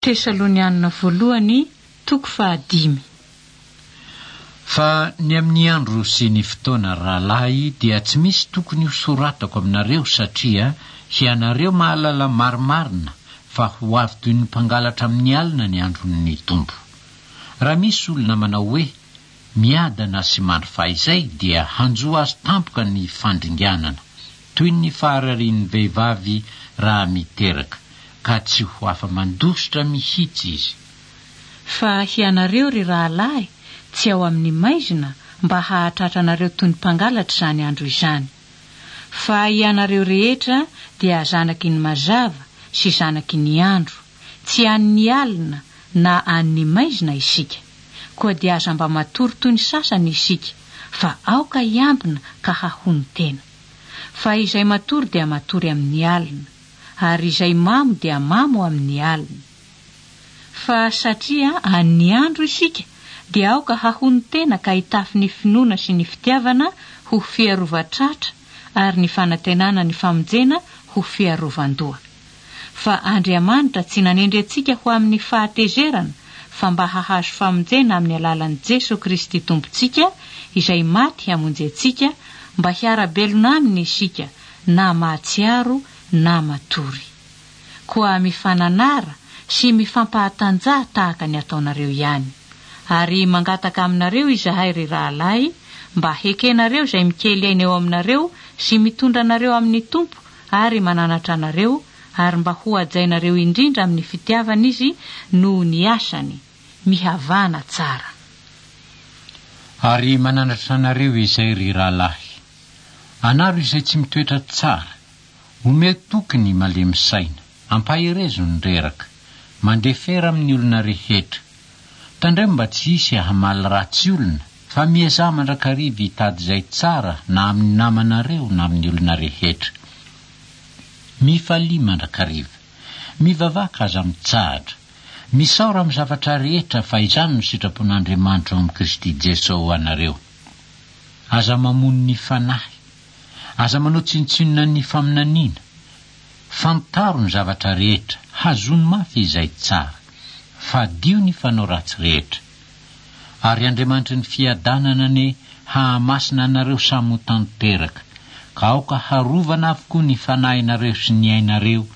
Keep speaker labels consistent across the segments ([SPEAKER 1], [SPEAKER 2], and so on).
[SPEAKER 1] Tesalonianina Voalohany toko fahadimy.
[SPEAKER 2] Fa ny amin'ny andro sy ny fotoana, ry rahalahy, dia tsy misy tokony hosoratako aminareo, satria hianareo mahalala marimarina fa ho avy toy ny mpangalatra amin'ny alina ny andron'ny Tompo. Raha misy olona manao hoe, Miadana sy mandry fahizay, dia hanjo azy tampoka ny fandringanana, toy ny fahararian'ny vehivavy raha miteraka, ka tsy ho afa-mandositra mihitsy izy.
[SPEAKER 1] Fa hianareo, ry rahalahy, tsy ao amin'ny maizina mba hahatratra anareo toy ny mpangalatra izany andro izany. Fa hianareo rehetra dia zanaky ny mazava sy zanaky ny andro, tsy an'ny alina na an'ny maizina isika. Koa dia aza mba matory toy ny sasany isika, fa aoka hiambina ka hahonon-tena. Fa izay matory dia matory amin'ny alina. ary izay mamo dia mamo amin'ny alina. Fa satria an'ny andro isika, dia aoka hahonon-tena ka hitafy ny finoana sy ny fitiavana ho fiarovan-tratra ary ny fanantenana ny famonjena ho fiarovan-doha. Fa Andriamanitra tsy nanendry antsika ho amin'ny fahatezerana, fa mba hahazo famonjena amin'ny alalan'i Jeso Kristy Tompontsika, izay maty hamonjy antsika, mba hiara-belona aminy isika, na mahatsiaro na matory. Koa mifananara sy mifampahatanjaha tahaka ny ataonareo ihany. Ary mangataka aminareo izahay, ry rahalahy, mba hekenareo izay mikely aina eo aminareo sy mitondra anareo amin'ny Tompo ary mananatra anareo, ary mba hohajainareo indrindra amin'ny fitiavana izy noho ny asany. Mihavàna tsara.
[SPEAKER 2] Ary mananatra anareo izay, ry rahalahy, Anaro izay tsy mitoetra tsara. Omeo toky ny malemy saina. Ampaherezo ny reraka. Mandefera amin'ny olona rehetra. Tandremo mba tsy hisy hamaly ratsy olona, fa miezaha mandrakariva hitady izay tsara na amin'ny namanareo na amin'ny olona rehetra. Mifalia mandrakariva. Mivavaka aza mitsahatra. Misaora amin'ny zavatra rehetra fa izany no sitrapon'Andriamanitra ao amin'i Kristy Jeso ho anareo. Aza mamono ny fanahy. Aza manao tsinontsinona ny faminaniana. Fantaro ny zavatra rehetra, hazony mafy izay tsara. Fadio ny fanao ratsy rehetra. Ary Andriamanitry ny fiadanana anie hahamasina anareo samy ho tanteraka, ka aoka harovana avokoa ny fanahinareo sy ny ainareo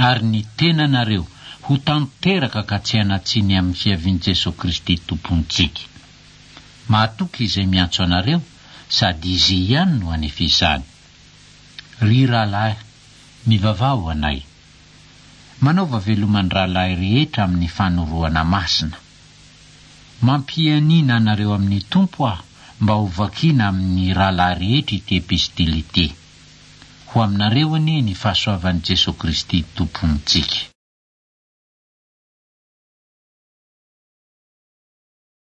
[SPEAKER 2] ary ny tenanareo ho tanteraka ka tsy hanan-tsiny amin'ny fiavian'i Jesoa Kristy Tompontsika. Mahatoky izay miantso anareo, sady Izy ihany no hanefa izany. Ry rahalahy, mivavaha ho anay. Manaova veloma ny rahalahy rehetra amin'ny fanorohana masina. Mampianiana anareo amin'ny Tompo aho mba ho vakiana amin'ny rahalahy rehetra ity epistily ity. Ho aminareo anie ny fahasoavan'i Jesoa Kristy Tompontsika.